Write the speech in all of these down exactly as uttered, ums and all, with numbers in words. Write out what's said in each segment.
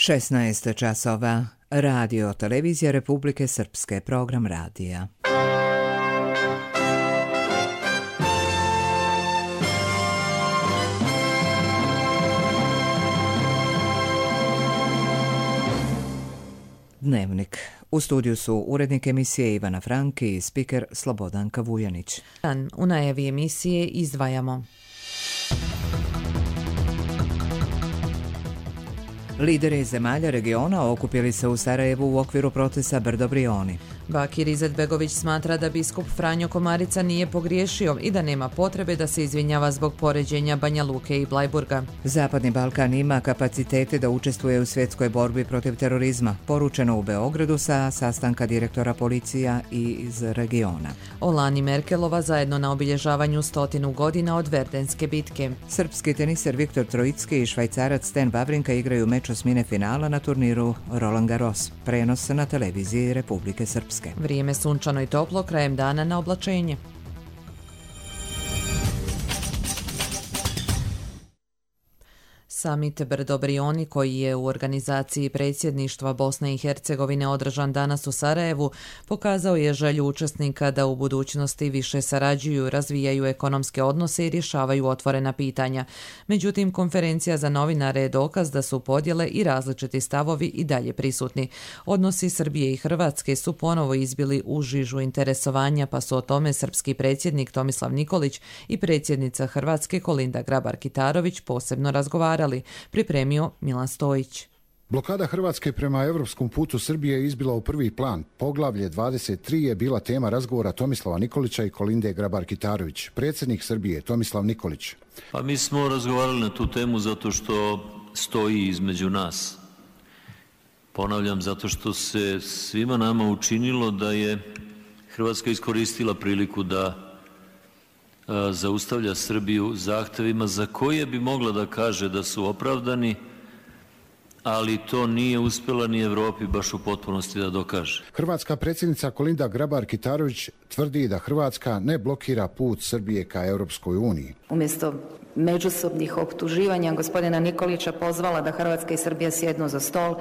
šesnaest časova. Radio Televizija Republike Srpske, program radija. Dnevnik. U studiju su urednik emisije Ivana Franki i spiker Slobodanka Vujanić. U najavi emisije izdvajamo. Lideri zemalja regiona okupili se u Sarajevu u okviru procesa Brdo Brioni. Bakir Izetbegović smatra da biskup Franjo Komarica nije pogriješio i da nema potrebe da se izvinjava zbog poređenja Banja Luke i Blajburga. Zapadni Balkan ima kapacitete da učestvuje u svjetskoj borbi protiv terorizma, poručeno u Beogradu sa sastanka direktora policija i iz regiona. Olan i Merkelova zajedno na obilježavanju stotinu godina od Verdenske bitke. Srpski teniser Viktor Trojicki i Švajcarac Sten Wawrinka igraju meč osmine finala na turniru Roland Garros. Prenos na televiziji Republike Srpske. Vrijeme sunčano i toplo, krajem dana na oblačenje. Samit Brdo Brioni, koji je u organizaciji predsjedništva Bosne i Hercegovine održan danas u Sarajevu, pokazao je želju učesnika da u budućnosti više sarađuju, razvijaju ekonomske odnose i rješavaju otvorena pitanja. Međutim, konferencija za novinare je dokaz da su podjele i različiti stavovi i dalje prisutni. Odnosi Srbije i Hrvatske su ponovo izbili u žižu interesovanja, pa su o tome srpski predsjednik Tomislav Nikolić i predsjednica Hrvatske Kolinda Grabar-Kitarović posebno razgovarali. Pripremio Milan Stojić. Blokada Hrvatske prema europskom putu Srbije je izbila u prvi plan. Poglavlje dvadeset tri je bila tema razgovora Tomislava Nikolića i Kolinde Grabar-Kitarović. Predsjednik Srbije Tomislav Nikolić. Pa mi smo razgovarali na tu temu zato što stoji između nas. Ponavljam, zato što se svima nama učinilo da je Hrvatska iskoristila priliku da zaustavlja Srbiju zahtevima za koje bi mogla da kaže da su opravdani, ali to nije uspjela ni Evropi baš u potpunosti da dokaže. Hrvatska predsjednica Kolinda Grabar-Kitarović tvrdi da Hrvatska ne blokira put Srbije ka Europskoj uniji. Umjesto međusobnih optuživanja gospodina Nikolića pozvala da Hrvatska i Srbija sjednu za stol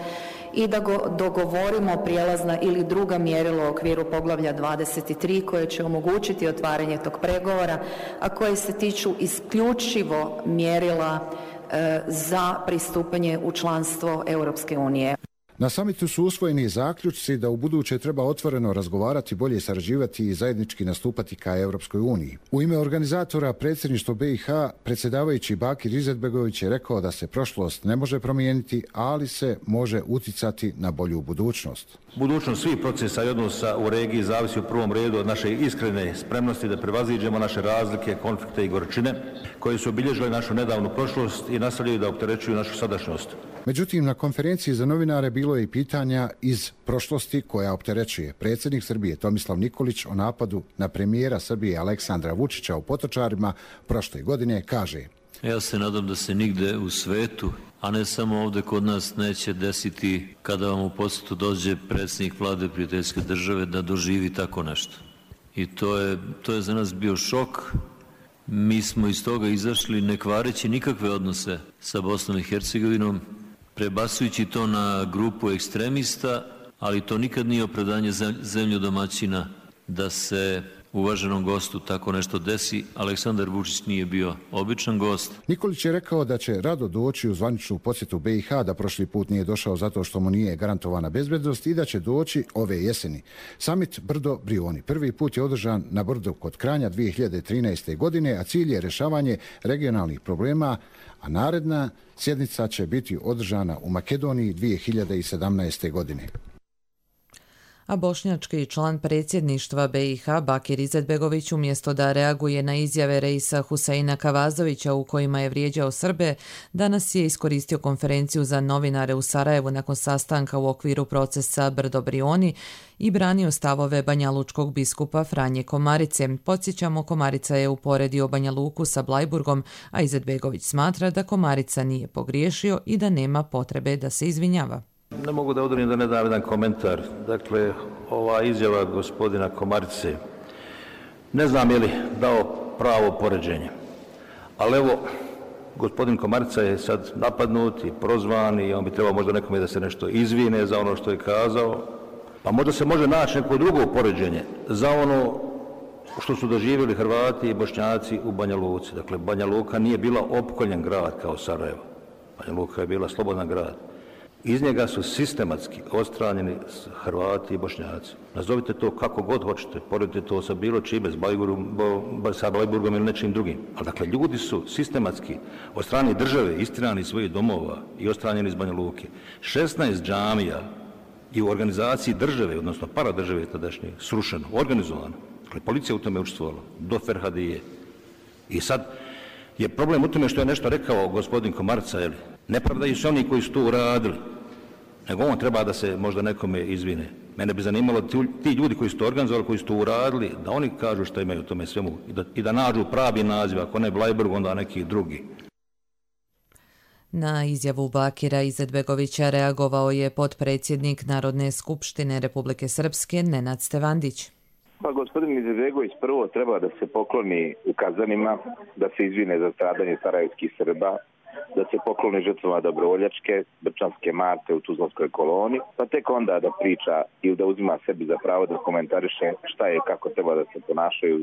i da go dogovorimo prijelazna ili druga mjerila u okviru poglavlja dvadeset tri koje će omogućiti otvaranje tog pregovora, a koje se tiču isključivo mjerila e, za pristupanje u članstvo Europske unije. Na samitu su usvojeni zaključci da u buduće treba otvoreno razgovarati, bolje sarađivati i zajednički nastupati ka Europskoj uniji. U ime organizatora predsjedništva B i H predsjedavajući Bakir Izetbegović je rekao da se prošlost ne može promijeniti, ali se može uticati na bolju budućnost. Budućnost svih procesa i odnosa u regiji zavisi u prvom redu od naše iskrene spremnosti da prevaziđemo naše razlike, konflikte i gorčine koje su obilježile našu nedavnu prošlost i nastavljaju da opterećuju našu sadašnjost. Međutim, na konferenciji za novinare bilo je i pitanja iz prošlosti koja opterećuje. Predsjednik Srbije Tomislav Nikolić o napadu na premijera Srbije Aleksandra Vučića u Potočarima prošle godine kaže: Ja se nadam da se nigde u svetu, a ne samo ovdje kod nas, neće desiti kada vam u posjetu dođe predsjednik vlade prijateljske države da doživi tako nešto. I to je, to je za nas bio šok. Mi smo iz toga izašli ne kvareći nikakve odnose sa Bosnom i Hercegovinom, prebacujući to na grupu ekstremista, ali to nikad nije opravdanje zemlju domaćina da se uvaženom gostu tako nešto desi. Aleksandar Vučić nije bio običan gost. Nikolić je rekao da će rado doći u zvaničnu posjetu B i H, da prošli put nije došao zato što mu nije garantovana bezbednost i da će doći ove jeseni. Samit Brdo Brioni prvi put je održan na Brdu kod Kranja dvije hiljade trinaeste. godine, a cilj je rješavanje regionalnih problema, a naredna sjednica će biti održana u Makedoniji dvije hiljade sedamnaeste. godine. A bošnjački član predsjedništva B i H Bakir Izetbegović umjesto da reaguje na izjave Reisa Huseina Kavazovića u kojima je vrijeđao Srbe, danas je iskoristio konferenciju za novinare u Sarajevu nakon sastanka u okviru procesa Brdo Brioni i branio stavove banjalučkog biskupa Franje Komarice. Podsjećamo, Komarica je uporedio Banja Luku sa Blajburgom, a Izetbegović smatra da Komarica nije pogriješio i da nema potrebe da se izvinjava. Ne mogu da odolim da ne dam jedan komentar. Dakle, ova izjava gospodina Komarice, ne znam je li dao pravo poređenje, ali evo, Gospodin Komarica je sad napadnut i prozvan i on bi trebao možda nekome da se nešto izvine za ono što je kazao. Pa možda se može naći neko drugo poređenje za ono što su doživjeli Hrvati i Bošnjaci u Banja Luci. Dakle, Banja Luka nije bila opkoljen grad kao Sarajevo. Banja Luka je bila slobodan grad. Iz njega su sistematski odstranjeni Hrvati i Bošnjaci. Nazovite to kako god hoćete, poredite to sa bilo čime, s Blajburgom, sa Blajburgom ili nečim drugim. Ali dakle, ljudi su sistematski od strane države istirani iz svojih domova i odstranjeni iz Banja Luke. šesnaest džamija i u organizaciji države, odnosno paradržave tadašnje, srušeno, organizovano. Dakle, policija u tome učestvovala, do Ferhadije. I sad je problem u tome što je nešto rekao gospodin Komarica, jel? Ne pravdaju se oni koji su to uradili, nego on treba da se možda nekome izvine. Mene bi zanimalo ti ljudi koji su to organizovali, koji su to uradili, da oni kažu što imaju u tome svemu i da, i da nađu pravi naziv, ako ne Blajburg, onda neki drugi. Na izjavu Bakira Izetbegovića reagovao je potpredsjednik Narodne skupštine Republike Srpske Nenad Stevandić. Pa gospodin Izetbegović prvo treba da se pokloni u Kazanima, da se izvine za stradanje sarajevskih Srba, da se pokloni žrtvama Dobrovoljačke, Brčanske Marte u Tuzlanskoj koloni, pa tek onda da priča i da uzima sebi za pravo da komentariše šta je, kako treba da se ponašaju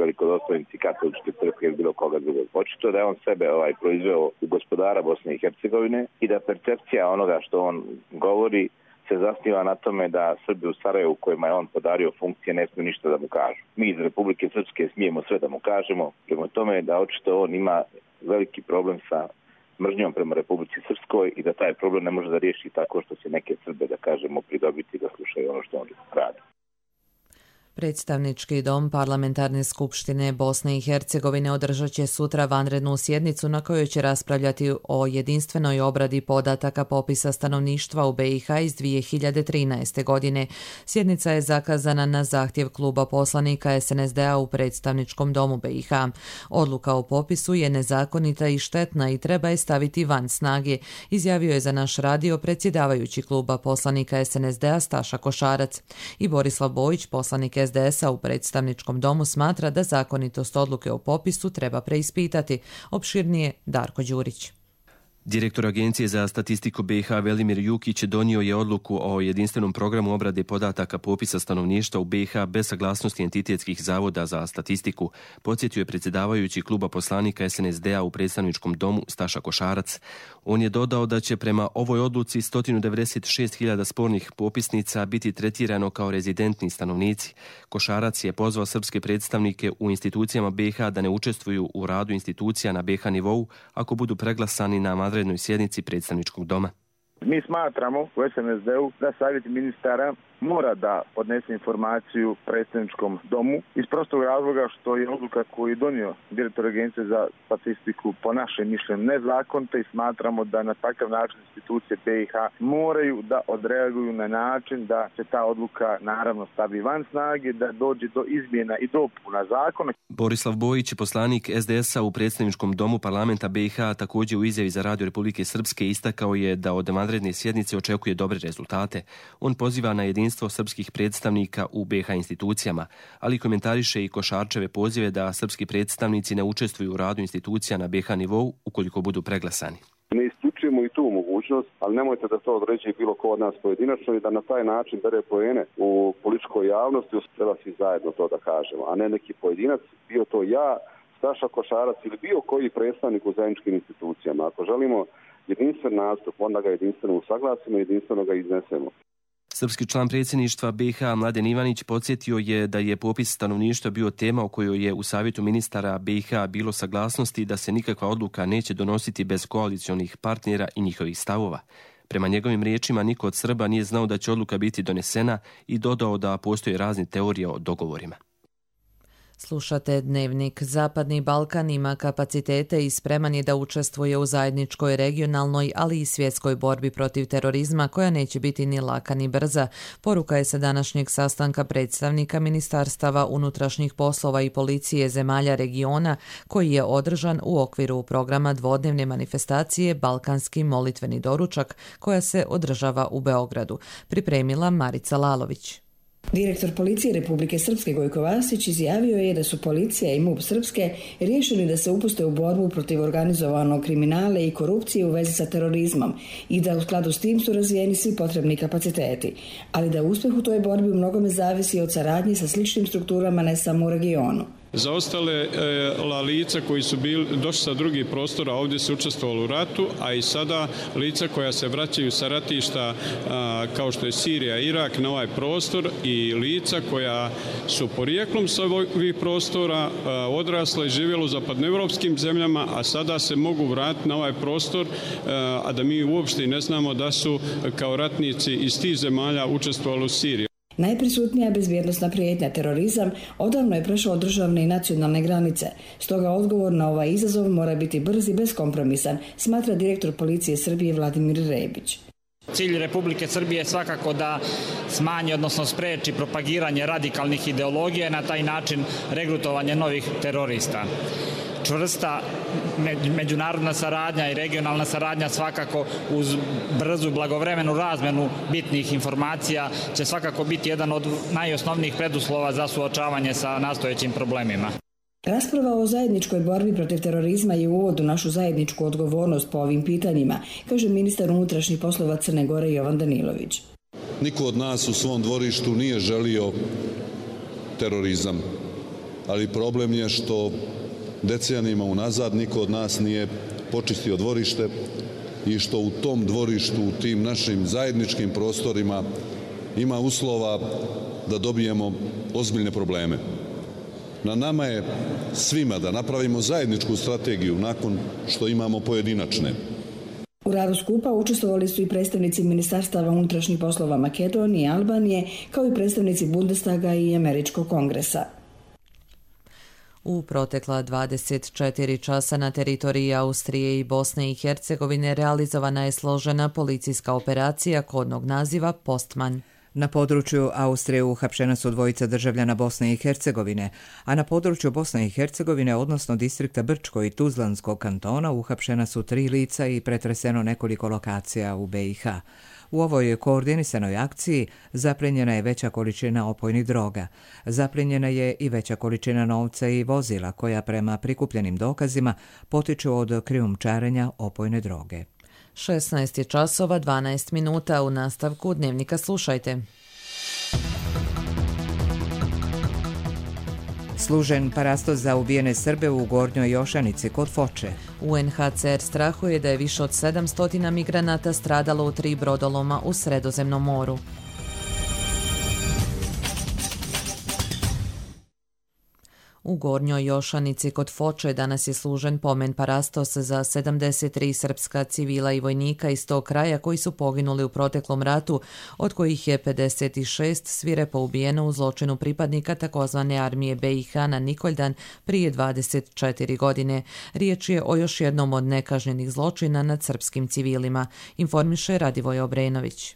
velikodostojnici katoličke crkve ili bilo koga drugog. Očito da je on sebe ovaj proizveo u gospodara Bosne i Hercegovine i da percepcija onoga što on govori se zasniva na tome da Srbi u Sarajevu kojima je on podario funkcije ne smiju ništa da mu kažu. Mi iz Republike Srpske smijemo sve da mu kažemo, prema tome da očito on ima veliki problem sa mržnjom prema Republici Srpskoj i da taj problem ne može da riješi tako što se neke Srbe, da kažemo, pridobiti da slušaju ono što on radi. Predstavnički dom Parlamentarne skupštine Bosne i Hercegovine održat će sutra vanrednu sjednicu na kojoj će raspravljati o jedinstvenoj obradi podataka popisa stanovništva u B i H iz dvije hiljade trinaeste. godine. Sjednica je zakazana na zahtjev kluba poslanika S N S D-a u Predstavničkom domu B i H. Odluka o popisu je nezakonita i štetna i treba je staviti van snage, izjavio je za naš radio predsjedavajući kluba poslanika S N S D-a Staša Košarac. I Borislav Bojić, poslanik S D S-a u Predstavničkom domu, smatra da zakonitost odluke o popisu treba preispitati. Opširnije Darko Đurić. Direktor Agencije za statistiku B i H Velimir Jukić donio je odluku o jedinstvenom programu obrade podataka popisa stanovništva u B i H bez saglasnosti entitetskih zavoda za statistiku, podsjetio je predsjedavajući kluba poslanika S N S D-a u Predstavničkom domu Staša Košarac. On je dodao da će prema ovoj odluci sto devedeset šest hiljada spornih popisnica biti tretirano kao rezidentni stanovnici. Košarac je pozvao srpske predstavnike u institucijama B i H da ne učestvuju u radu institucija na B i H nivou ako budu preglasani na vanrednoj sjednici Predstavničkog doma. Mi smatramo u S N S D-u da savjet ministara mora da podnese informaciju Predstavničkom domu iz prostog razloga što je odluka koju je donio direktor Agencije za statistiku po našem mišljenju nezakonita i smatramo da na takav način institucije B i H moraju da odreaguju na način da se ta odluka naravno stavi van snage, da dođe do izmjena i dopuna zakona. Borislav Bojić, poslanik S D S-a u Predstavničkom domu parlamenta B i H, također u izjavi za Radio Republike Srpske istakao je da od vanredne sjednice očekuje dobre rezultate. On poziva na jedinstvo srpskih predstavnika u B i H institucijama, ali komentariše i Košarčeve pozive da srpski predstavnici ne učestvuju u radu institucija na B i H nivou ukoliko budu preglasani. Ne isključujemo i tu mogućnost, ali nemojte da to određuje bilo ko od nas pojedinačno i da na taj način bere poene u političkoj javnosti, treba svi zajedno to da kažemo, a ne neki pojedinac, bio to ja, Staša Košarac ili bio koji predstavnik u zajedničkim institucijama. Ako želimo jedinstven nastup, onda ga jedinstveno usaglasimo, jedinstveno ga iznesemo. Srpski član predsjedništva B i H Mladen Ivanić podsjetio je da je popis stanovništva bio tema o kojoj je u savjetu ministara B i H bilo saglasnosti da se nikakva odluka neće donositi bez koalicionih partnera i njihovih stavova. Prema njegovim riječima, niko od Srba nije znao da će odluka biti donesena i dodao da postoje razne teorije o dogovorima. Slušate Dnevnik. Zapadni Balkan ima kapacitete i spreman je da učestvuje u zajedničkoj regionalnoj, ali i svjetskoj borbi protiv terorizma koja neće biti ni laka ni brza. Poruka je sa današnjeg sastanka predstavnika ministarstava unutrašnjih poslova i policije zemalja regiona koji je održan u okviru programa dvodnevne manifestacije Balkanski molitveni doručak koja se održava u Beogradu. Pripremila Marica Lalović. Direktor policije Republike Srpske Gojko Vasić izjavio je da su policija i MUP Srpske riješili da se upuste u borbu protiv organizovanog kriminala i korupcije u vezi sa terorizmom i da u skladu s tim su razvijeni svi potrebni kapaciteti, ali da uspjeh u toj borbi u mnogome zavisi od saradnje sa sličnim strukturama ne samo u regionu. Za ostale e, lica koji su bili, došli sa drugih prostora, ovdje su učestvovali u ratu, a i sada lica koja se vraćaju sa ratišta a, kao što je Sirija, Irak na ovaj prostor i lica koja su porijeklom sa ovih prostora a, odrasla i živjela u zapadnoevropskim zemljama, a sada se mogu vratiti na ovaj prostor, a, a da mi uopšte ne znamo da su kao ratnici iz tih zemalja učestvovali u Siriji. Najprisutnija bezbjednosna prijetnja, terorizam, odavno je prešao državne i nacionalne granice. Stoga odgovor na ovaj izazov mora biti brz i beskompromisan, smatra direktor policije Srbije Vladimir Rebić. Cilj Republike Srbije je svakako da smanji, odnosno spreči propagiranje radikalnih ideologija i na taj način regrutovanje novih terorista. Čvrsta međunarodna saradnja i regionalna saradnja svakako uz brzu blagovremenu razmenu bitnih informacija će svakako biti jedan od najosnovnijih preduslova za suočavanje sa nastojećim problemima. Rasprava o zajedničkoj borbi protiv terorizma je uvod u našu zajedničku odgovornost po ovim pitanjima, kaže ministar unutrašnjih poslova Crne Gore Jovan Danilović. Niko od nas u svom dvorištu nije želio terorizam, ali problem je što decenijama unazad niko od nas nije počistio dvorište i što u tom dvorištu, u tim našim zajedničkim prostorima ima uslova da dobijemo ozbiljne probleme. Na nama je svima da napravimo zajedničku strategiju nakon što imamo pojedinačne. U radu skupa učestvovali su i predstavnici Ministarstava unutrašnjih poslova Makedonije i Albanije, kao i predstavnici Bundestaga i Američkog kongresa. U protekla dvadeset četiri časa na teritoriji Austrije i Bosne i Hercegovine realizovana je složena policijska operacija kodnog naziva Postman. Na području Austrije uhapšena su dvojica državljana Bosne i Hercegovine, a na području Bosne i Hercegovine, odnosno distrikta Brčko i Tuzlanskog kantona, uhapšena su tri lica i pretreseno nekoliko lokacija u be i ha. U ovoj koordinisanoj akciji zaplijenjena je veća količina opojnih droga. Zaplijenjena je i veća količina novca i vozila koja prema prikupljenim dokazima potiču od krijumčarenja opojne droge. šesnaest je časova dvanaest minuta. U nastavku Dnevnika slušajte. Služen parastos za ubijene Srbe u Gornjoj Jošanici kod Foče. u en ha ce er strahuje da je više od sedamsto migranata stradalo u tri brodoloma u Sredozemnom moru. U Gornjoj Jošanici kod Foče danas je služen pomen parastos za sedamdeset tri srpska civila i vojnika iz tog kraja koji su poginuli u proteklom ratu, od kojih je pedeset šest svirepo ubijeno u zločinu pripadnika takozvane armije be i ha na Nikoljdan prije dvadeset četiri godine. Riječ je o još jednom od nekažnjenih zločina nad srpskim civilima, informiše Radivoj Obrenović.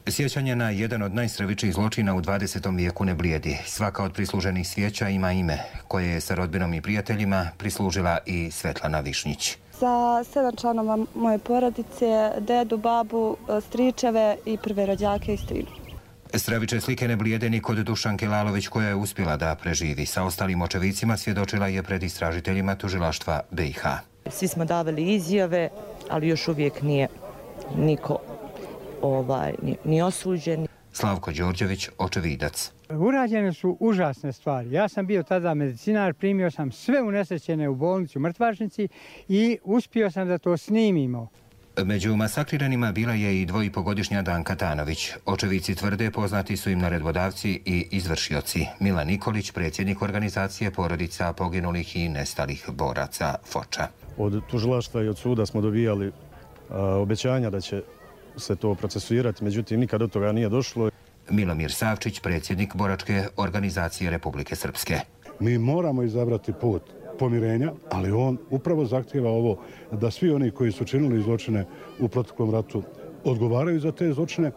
Sjećanje na jedan od najstravičnijih zločina u dvadesetom vijeku ne blijedi. Svaka od prisluženih svijeća ima ime, koje je sa rodbinom i prijateljima prislužila i Svetlana Višnjić. Za sedam članova moje porodice, dedu, babu, stričeve i prve rođake i strinu. Stravične slike ne blijede ni kod Dušanke Lalović, koja je uspjela da preživi. Sa ostalim očevicima svjedočila je pred istražiteljima tužilaštva be i ha. Svi smo davali izjave, ali još uvijek nije niko Ovaj, ni, ni osuđen. Slavko Đorđević, očevidac. Urađene su užasne stvari. Ja sam bio tada medicinar, primio sam sve unesrećene u bolnicu u Mrtvačnici i uspio sam da to snimimo. Među masakriranima bila je i dvojipogodišnja Danka Tanović. Očevici tvrde poznati su im naredbodavci i izvršioci. Milan Nikolić, predsjednik organizacije porodica poginulih i nestalih boraca Foča. Od tužilaštva i od suda smo dobijali a, obećanja da će se to procesuirati, međutim nikad do toga nije došlo. Milomir Savčić, predsjednik boračke organizacije Republike Srpske. Mi moramo izabrati put pomirenja, ali on upravo zahtjeva ovo da svi oni koji su činili zločine u proteklom ratu odgovaraju za te zločine.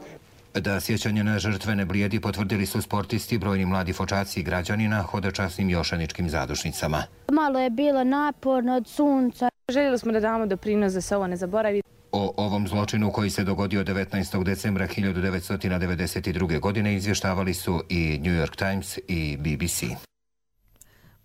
Da sjećanje na žrtve ne blijedi potvrdili su sportisti, brojni mladi fočaci i građani na hodočasnim jošaničkim zadušnicama. Malo je bilo naporno od sunca. Željeli smo da damo doprinos da se ovo ne zaboravi. O ovom zločinu koji se dogodio devetnaestog decembra hiljadu devetsto devedeset druge. godine izvještavali su i New York Times i B B C.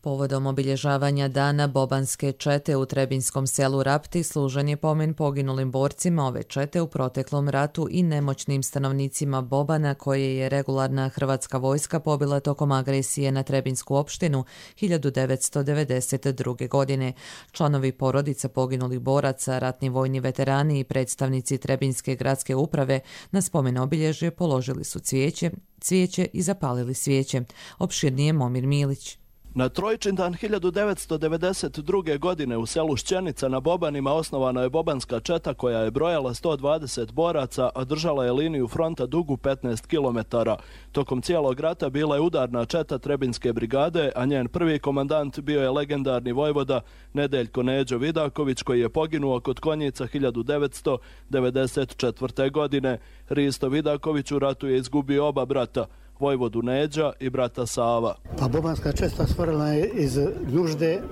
Povodom obilježavanja dana bobanske čete u Trebinskom selu Rapti služen je pomen poginulim borcima ove čete u proteklom ratu i nemoćnim stanovnicima Bobana koje je regularna hrvatska vojska pobila tokom agresije na Trebinsku opštinu hiljadu devetsto devedeset druge. godine. Članovi porodica poginulih boraca, ratni vojni veterani i predstavnici Trebinske gradske uprave na spomen obilježje položili su cvijeće, cvijeće i zapalili svijeće. Opširnije Momir Milić. Na Trojčindan hiljadu devetsto devedeset druge. godine u selu Šćenica na Bobanima osnovana je bobanska četa koja je brojala sto dvadeset boraca, a držala je liniju fronta dugu petnaest kilometara. Tokom cijelog rata bila je udarna četa Trebinske brigade, a njen prvi komandant bio je legendarni vojvoda Nedeljko Neđo Vidaković koji je poginuo kod Konjica hiljadu devetsto devedeset četvrte. godine. Risto Vidaković u ratu je izgubio oba brata, vojvodu Neđa i brata Sava. Pa bobanska česta stvorila je iz nužde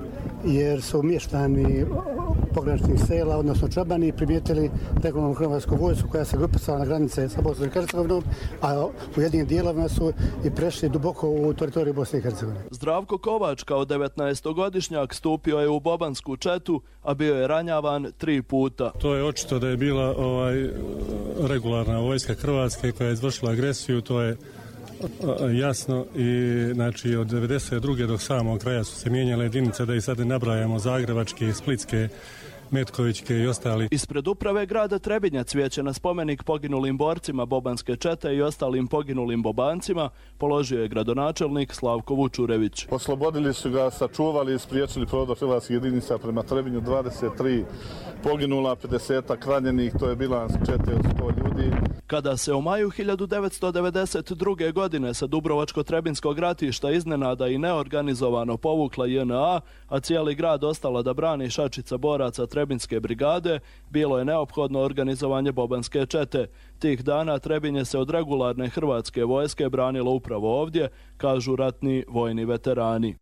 jer su mještani pograničnih sela, odnosno čabani, primijetili regularnu hrvatsku vojsku koja se grupicala na granice sa Bosnom i Hercegovinom, a u jednim dijelovima su i prešli duboko u teritoriju Bosne i Hercegovine. Zdravko Kovač kao devetnaestogodišnjak stupio je u bobansku četu, a bio je ranjavan tri puta. To je očito da je bila ovaj, regularna vojska Hrvatske koja je izvršila agresiju, to je jasno i znači od devedeset druge do samog kraja su se mijenjale jedinice, da i sad ne nabrajamo zagrebačke, splitske, Metkovićke i ostali. Ispred uprave grada Trebinja cvijeće na spomenik poginulim borcima bobanske čete i ostalim poginulim bobancima položio je gradonačelnik Slavko Vučurević. Oslobodili su ga, sačuvali i spriječili prodor hrvatskih jedinica prema Trebinju, dvadeset tri poginula, pedeset ranjenih, to je bilans čete od sto ljudi. Kada se u maju hiljadu devetsto devedeset druge. godine sa Dubrovačko-Trebinskog ratišta iznenada i neorganizovano povukla J N A, a cijeli grad ostala da brani šačica boraca Trebinske brigade, bilo je neophodno organizovanje bobanske čete. Tih dana Trebinje se od regularne hrvatske vojske branilo upravo ovdje, kažu ratni vojni veterani.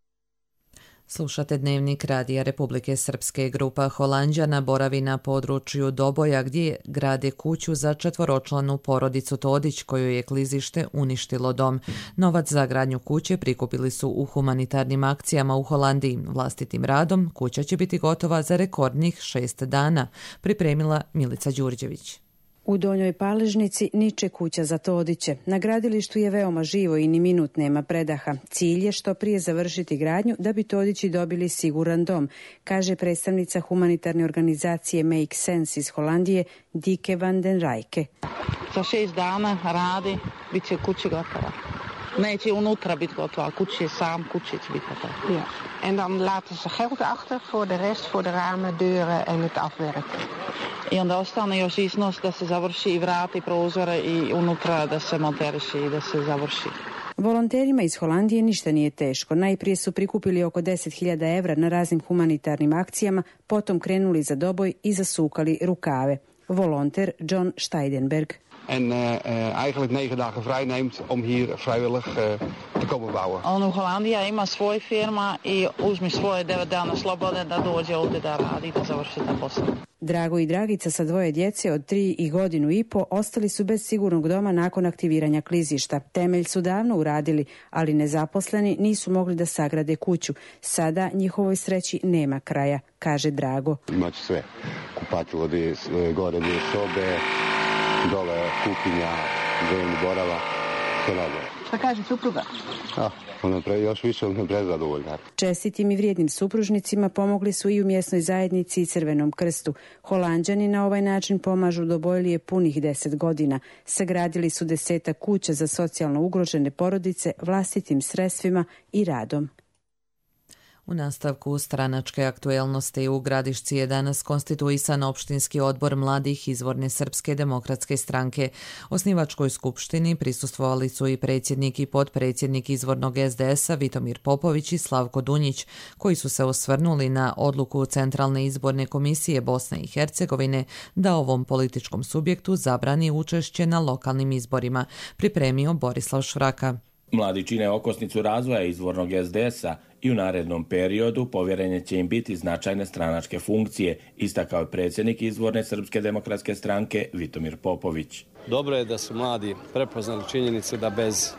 Slušate Dnevnik Radija Republike Srpske. Grupa Holanđana boravi na području Doboja gdje grade kuću za četvoročlanu porodicu Todić koju je klizište uništilo dom. Novac za gradnju kuće prikupili su u humanitarnim akcijama u Holandiji. Vlastitim radom kuća će biti gotova za rekordnih šest dana, pripremila Milica Đurđević. U Donjoj Paležnici niče kuća za Todiće. Na gradilištu je veoma živo i ni minut nema predaha. Cilj je što prije završiti gradnju da bi Todići dobili siguran dom, kaže predstavnica humanitarne organizacije Make Sense iz Holandije Dike van den Rijke. Za šest dana radi, bit će kuća gotova. Neće unutra biti gotova, kuće je sam, kuće će biti gotova. Ja. En dan laten ze geld achter voor de rest, voor de ramen, deuren en het afwerken. I onda ostane još iznos da se završi i vrati prozore i unutra da se monteriši i da se završi. Volonterima iz Holandije ništa nije teško. Najprije su prikupili oko deset hiljada evra na raznim humanitarnim akcijama, potom krenuli za Doboj i zasukali rukave. Volonter John Steidenberg. En uh, uh, eigenlijk negen dagen vrij neemt om hier vrijwillig uh, te komen bouwen. On u Holandija ima svoj firma i uzmi svoje devet dana slobode da dođe ovdje da radi, da završi ta posao. Drago i Dragica sa dvoje djece od tri i godinu i po ostali su bez sigurnog doma nakon aktiviranja klizišta. Temelj su davno uradili, ali nezaposleni nisu mogli da sagrade kuću. Sada njihovoj sreći nema kraja, kaže Drago. Imaće sve. Kupatilo, gore dvije sobe, dole kuhinja, dnevni boravak, sve dobro. Šta kaže supruga? Ah, ona pre, još više ona prezadovoljna. Čestitim i vrijednim supružnicima pomogli su i u mjesnoj zajednici i Crvenom krstu. Holanđani na ovaj način pomažu Dobojlije punih deset godina. Sagradili su desetak kuća za socijalno ugrožene porodice vlastitim sredstvima i radom. U nastavku stranačke aktuelnosti u Gradišci je danas konstituisan opštinski odbor mladih izvorne Srpske demokratske stranke. Osnivačkoj skupštini prisustvovali su i predsjednik i potpredsjednik izvornog S D S-a Vitomir Popović i Slavko Dunjić, koji su se osvrnuli na odluku Centralne izborne komisije Bosne i Hercegovine da ovom političkom subjektu zabrani učešće na lokalnim izborima, pripremio Borislav Švraka. Mladi čine okosnicu razvoja izvornog S D S-a i u narednom periodu povjerenje će im biti značajne stranačke funkcije, istakao je predsjednik izvorne Srpske demokratske stranke Vitomir Popović. Dobro je da su mladi prepoznali činjenicu da bez e,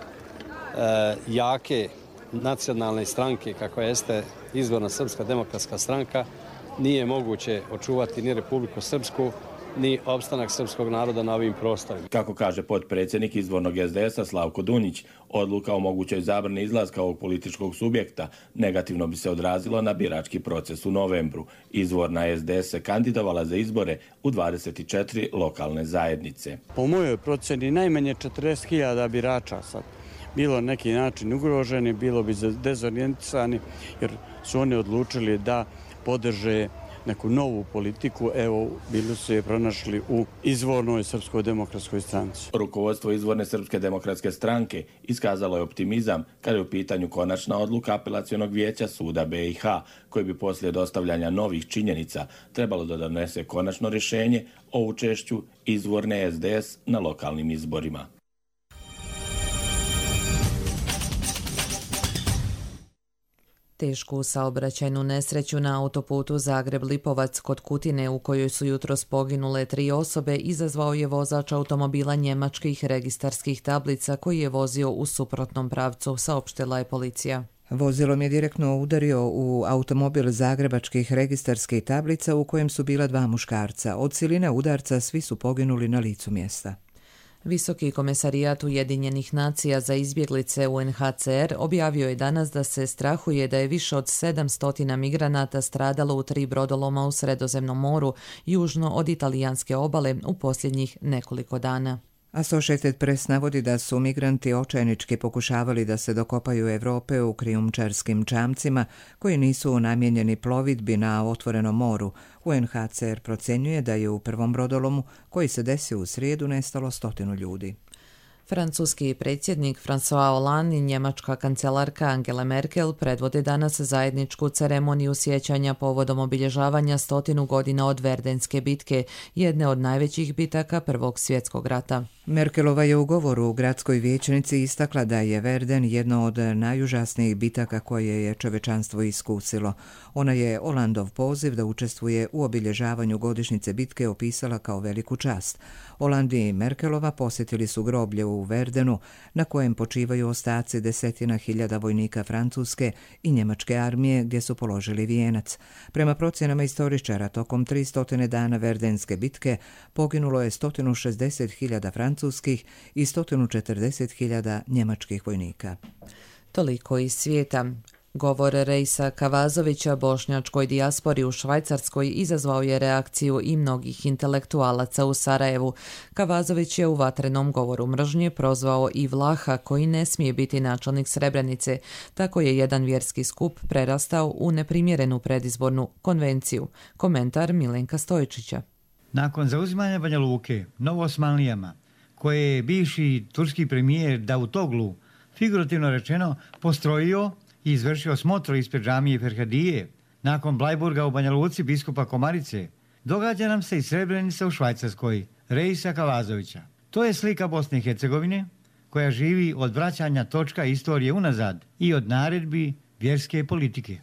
jake nacionalne stranke, kako jeste izvorna Srpska demokratska stranka, nije moguće očuvati ni Republiku Srpsku, ni opstanak srpskog naroda na ovim prostorima. Kako kaže potpredsjednik izvornog es de esa Slavko Dunjić, odluka o mogućoj zabrani izlaska ovog političkog subjekta negativno bi se odrazilo na birački proces u novembru. Izvorna es de es se kandidovala za izbore u dvadeset četiri lokalne zajednice. Po mojoj procjeni najmanje četrdeset hiljada birača sad bilo na neki način ugroženi, bilo bi dezorijentisani jer su oni odlučili da podrže neku novu politiku, evo, bili su je pronašli u izvornoj Srpskoj demokratskoj stranci. Rukovodstvo izvorne Srpske demokratske stranke iskazalo je optimizam kada je u pitanju konačna odluka apelacionog vijeća suda be i ha, koji bi poslije dostavljanja novih činjenica trebalo da donese konačno rješenje o učešću izvorne es de es na lokalnim izborima. Tešku saobraćajnu nesreću na autoputu Zagreb-Lipovac kod Kutine, u kojoj su jutros poginule tri osobe, izazvao je vozač automobila njemačkih registarskih tablica koji je vozio u suprotnom pravcu, saopštila je policija. Vozilom je direktno udario u automobil zagrebačkih registarskih tablica u kojem su bila dva muškarca. Od siline udarca svi su poginuli na licu mjesta. Visoki komesarijat Ujedinjenih nacija za izbjeglice u en ha ce er objavio je danas da se strahuje da je više od sedamsto migranata stradalo u tri brodoloma u Sredozemnom moru, južno od italijanske obale, u posljednjih nekoliko dana. Associated Press navodi da su migranti očajnički pokušavali da se dokopaju Europe u krijumčarskim čamcima koji nisu namijenjeni plovidbi na otvorenom moru. u en ha ce er procjenjuje da je u prvom brodolomu koji se desio u srijedu nestalo stotinu ljudi. Francuski predsjednik François Hollande i njemačka kancelarka Angela Merkel predvode danas zajedničku ceremoniju sjećanja povodom obilježavanja stotinu godina od Verdenske bitke, jedne od najvećih bitaka Prvog svjetskog rata. Merkelova je u govoru u gradskoj vijećnici istakla da je Verden jedno od najužasnijih bitaka koje je čovečanstvo iskusilo. Ona je Hollandov poziv da učestvuje u obilježavanju godišnjice bitke opisala kao veliku čast. Hollande i Merkelova posjetili su groblje u Verdenu, na kojem počivaju ostaci desetina hiljada vojnika francuske i njemačke armije, gdje su položili vijenac. Prema procjenama istoričara, tokom tristo dana Verdenske bitke poginulo je sto šezdeset hiljada francuskih i sto četrdeset hiljada njemačkih vojnika. Toliko iz svijeta. Govor Reisa Kavazovića bošnjačkoj dijaspori u Švajcarskoj izazvao je reakciju i mnogih intelektualaca u Sarajevu. Kavazović je u vatrenom govoru mržnje prozvao i Vlaha koji ne smije biti načelnik Srebrenice. Tako je jedan vjerski skup prerastao u neprimjerenu predizbornu konvenciju. Komentar Milenka Stojičića. Nakon zauzimanja Banja Luke Novoosmanlijama, koje je bivši turski premijer Davutoglu, figurativno rečeno, postrojio i izvršio smotru ispred džamije Ferhadije, nakon Blajburga u Banja Luci biskupa Komarice, događa nam se i Srebrenica u Švajcarskoj, Reisa Kavazovića. To je slika Bosne i Hercegovine, koja živi od vraćanja točka istorije unazad i od naredbi vjerske politike.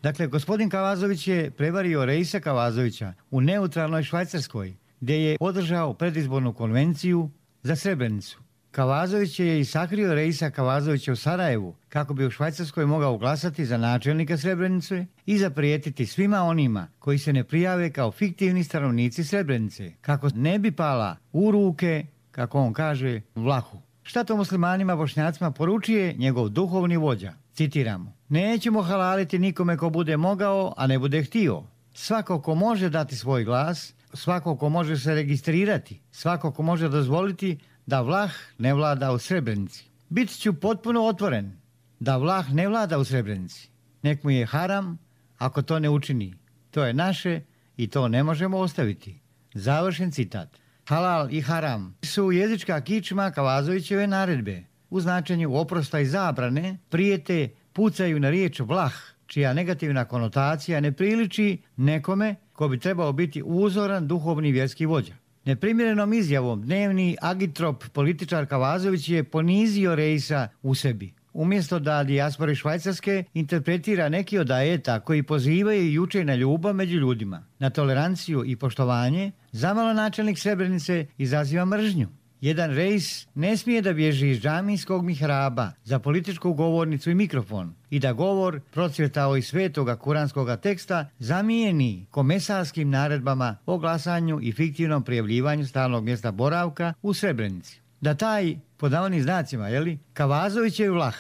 Dakle, gospodin Kavazović je prevario Reisa Kavazovića u neutralnoj Švajcarskoj, gdje je održao predizbornu konvenciju za Srebrenicu. Kavazović je i sakrio Reisa Kavazovića u Sarajevu kako bi u Švajcarskoj mogao glasati za načelnika Srebrenice i zaprijetiti svima onima koji se ne prijave kao fiktivni stanovnici Srebrenice, kako ne bi pala u ruke, kako on kaže, Vlahu. Šta to muslimanima bošnjacima poručuje njegov duhovni vođa? Citiramo: nećemo halaliti nikome ko bude mogao, a ne bude htio. Svako ko može dati svoj glas, svako ko može se registrirati, svako ko može dozvoliti da Vlah ne vlada u Srebrenici. Bit ću potpuno otvoren da Vlah ne vlada u Srebrenici. Nek mu je haram ako to ne učini. To je naše i to ne možemo ostaviti. Završen citat. Halal i haram su jezička kičma Kavazovićeve naredbe. U značenju oprosta i zabrane prijete pucaju na riječ Vlah, čija negativna konotacija ne priliči nekome ko bi trebao biti uzoran duhovni vjerski vođa. Neprimjerenom izjavom dnevni agitrop političar Kavazović je ponizio Reisa u sebi. umjesto da dijaspora Švajcarske interpretira neki od ajeta koji pozivaju i uče na ljubav među ljudima, na toleranciju i poštovanje, zamalo načelnik Srebrenice izaziva mržnju. Jedan rejs ne smije da bježi iz džamijskog mihraba za političku govornicu i mikrofon i da govor procvjetao iz svetoga kuranskoga teksta zamijeni komesarskim naredbama o glasanju i fiktivnom prijavljivanju stalnog mjesta boravka u Srebrenici. Da taj, pod navodnim znacima, jeli, Kavazovićev vlah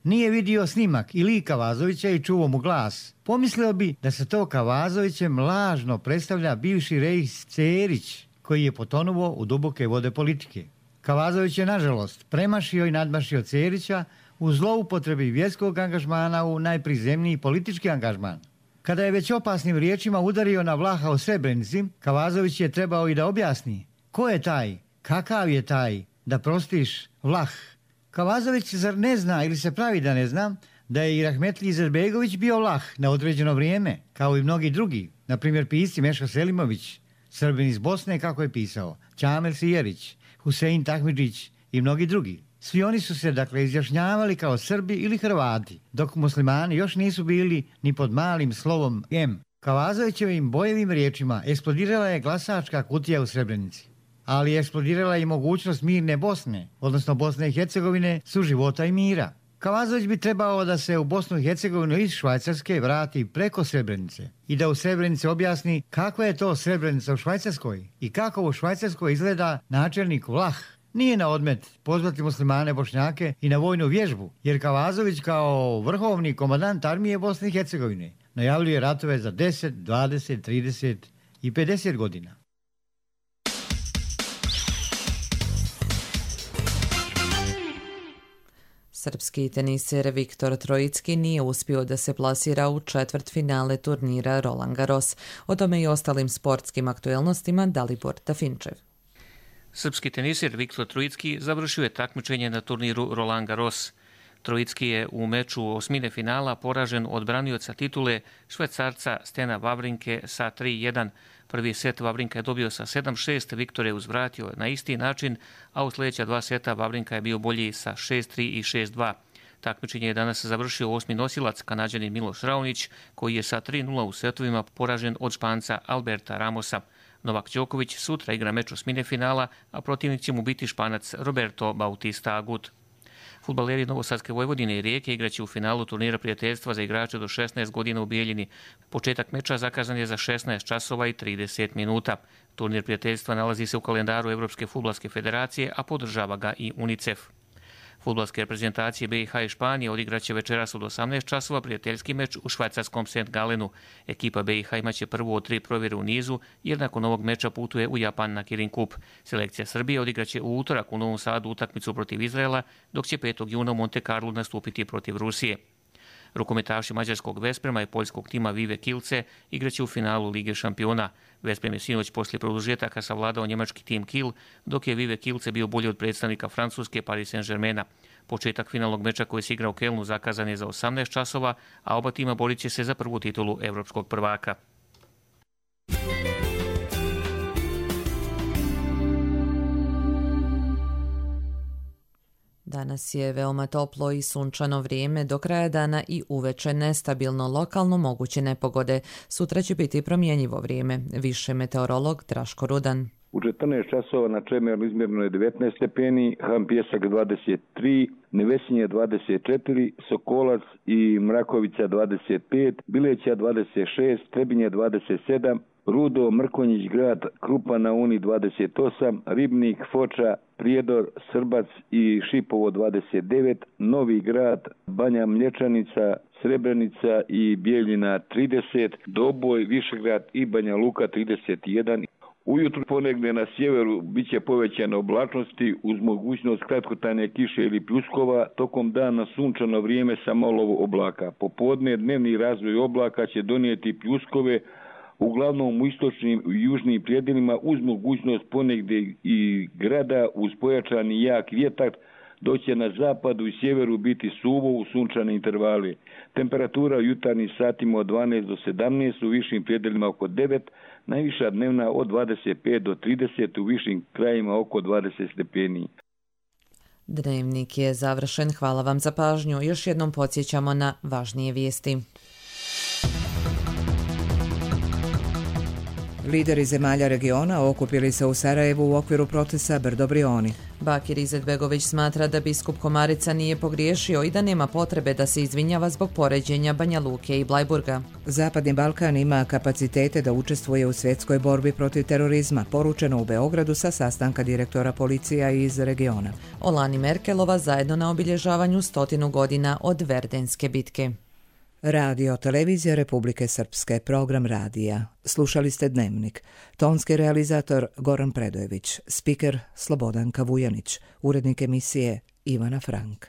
nije vidio snimak i lik Kavazovića i čuo mu glas, pomislio bi da se to Kavazovićem lažno predstavlja bivši rejs Cerić, koji je potonuo u duboke vode politike. Kavazović je, nažalost, premašio i nadmašio Cerića u zloupotrebi vjerskog angažmana u najprizemniji politički angažman. Kada je već opasnim riječima udario na Vlaha u Srebrenici, Kavazović je trebao i da objasni ko je taj, kakav je taj, da prostiš Vlah. Kavazović zar ne zna ili se pravi da ne zna da je i Rahmetli Izetbegović bio Vlah na određeno vrijeme, kao i mnogi drugi, na primjer pisci Mešo Selimović, Srbin iz Bosne, kako je pisao, Ćamil Sijerić, Husein Tahmidžić i mnogi drugi. Svi oni su se, dakle, izjašnjavali kao Srbi ili Hrvati, dok muslimani još nisu bili ni pod malim slovom M. Kavazovićevim bojevim riječima eksplodirala je glasačka kutija u Srebrenici, ali je eksplodirala i mogućnost mirne Bosne, odnosno Bosne i Hercegovine, suživota i mira. Kavazović bi trebao da se u Bosnu i Hercegovinu iz Švajcarske vrati preko Srebrenice i da u Srebrenici objasni kakva je to Srebrenica u Švajcarskoj i kako u Švajcarskoj izgleda načelnik Vlah. Nije na odmet pozvati muslimane Bošnjake i na vojnu vježbu, jer Kavazović kao vrhovni komandant armije Bosne i Hercegovine najavljuje ratove za deset, dvadeset, trideset i pedeset godina. Srpski teniser Viktor Trojicki nije uspio da se plasira u četvrtfinale turnira Roland Garros. O tome i ostalim sportskim aktuelnostima Dalibor Tafinčev. Srpski teniser Viktor Trojicki završio je takmičenje na turniru Roland Garros. Trojicki je u meču osmine finala poražen od branioca titule Švajcarca Stena Wawrinke sa tri jedan. Prvi set Wawrinka je dobio sa sedam šest, Viktor je uzvratio na isti način, a u sljedeća dva seta Wawrinka je bio bolji sa šest tri i šest dva. Takmičenje je danas završio osmi nosilac, Kanađanin Miloš Raonić, koji je sa tri nula u setovima poražen od Španca Alberta Ramosa. Novak Đoković sutra igra meč osmine finala, a protivnik će mu biti Španac Roberto Bautista Agut. Fudbaleri Novosadske Vojvodine i Rijeke igraće u finalu turnira prijateljstva za igrače do šesnaest godina u Bijeljini. Početak meča zakazan je za šesnaest časova i trideset minuta. Turnir prijateljstva nalazi se u kalendaru Evropske fudbalske federacije, a podržava ga i UNICEF. Fudbalske reprezentacije B i H i Španije odigraće večeras od osamnaest časova prijateljski meč u švajcarskom Saint Galenu. Ekipa B i H imaće prvu od tri provjere u nizu, jer nakon ovog meča putuje u Japan na Kirin Kup. Selekcija Srbije odigraće u utorak u Novom Sadu utakmicu protiv Izraela, dok će petog juna u Monte Carlo nastupiti protiv Rusije. Rukometaši mađarskog Vesprema i poljskog tima Vive Kielce igraće u finalu Lige šampiona. Vesprem je sinoć poslije produžetaka savladao njemački tim Kiel, dok je Vive Kielce bio bolji od predstavnika Francuske Paris Saint-Germaina. Početak finalnog meča koji se igra u Kelnu zakazan je za osamnaest časova, a oba tima borit će se za prvu titulu evropskog prvaka. Danas je veoma toplo i sunčano vrijeme, do kraja dana i uveče nestabilno, lokalno moguće nepogode. Sutra će biti promjenjivo vrijeme, više meteorolog Draško Rudan. U četrnaest časova na Čemernu izmjereno je devetnaest stepeni, Ham Pjesak dvadeset tri, Nevesinje dvadeset četiri, Sokolac i Mrakovica dvadeset pet, Bileća dvadeset šest, Trebinje dvadeset sedam, Rudo, Mrkonjić grad, Krupa na Uni dvadeset osam, Ribnik, Foča, Prijedor, Srbac i Šipovo dvadeset devet, Novi grad, Banja Mlječanica, Srebrenica i Bijeljina trideset, Doboj, Višegrad i Banja Luka trideset jedan. Ujutru ponegdje na sjeveru bit će povećane oblačnosti uz mogućnost kratkotrajne kiše ili pljuskova, tokom dana sunčano vrijeme sa malo oblaka. Popodne dnevni razvoj oblaka će donijeti pljuskove, uglavnom u istočnim i južnim predjelima uz mogućnost ponegdje i grada uz pojačani jak vjetar, dok će na zapadu i sjeveru biti suvo u sunčane intervale. Temperatura u jutarnjim satima od dvanaest do sedamnaest, u višim predjelima oko devet, najviša dnevna od dvadeset pet do trideset, u višim krajima oko dvadeset stepeni. Dnevnik je završen. Hvala vam za pažnju. Još jednom podsjećamo na važnije vijesti. Lideri zemalja regiona okupili se u Sarajevu u okviru procesa Brdo Brioni. Bakir Izetbegović smatra da biskup Komarica nije pogriješio i da nema potrebe da se izvinjava zbog poređenja Banja Luke i Blajburga. Zapadni Balkan ima kapacitete da učestvuje u svjetskoj borbi protiv terorizma, poručeno u Beogradu sa sastanka direktora policija iz regiona. Olani Merkelova zajedno na obilježavanju stotinu godina od Verdenske bitke. Radio Televizija Republike Srpske, program radija. Slušali ste Dnevnik. Tonski realizator Goran Predojević, spiker Slobodanka Vujanić, urednik emisije Ivana Frank.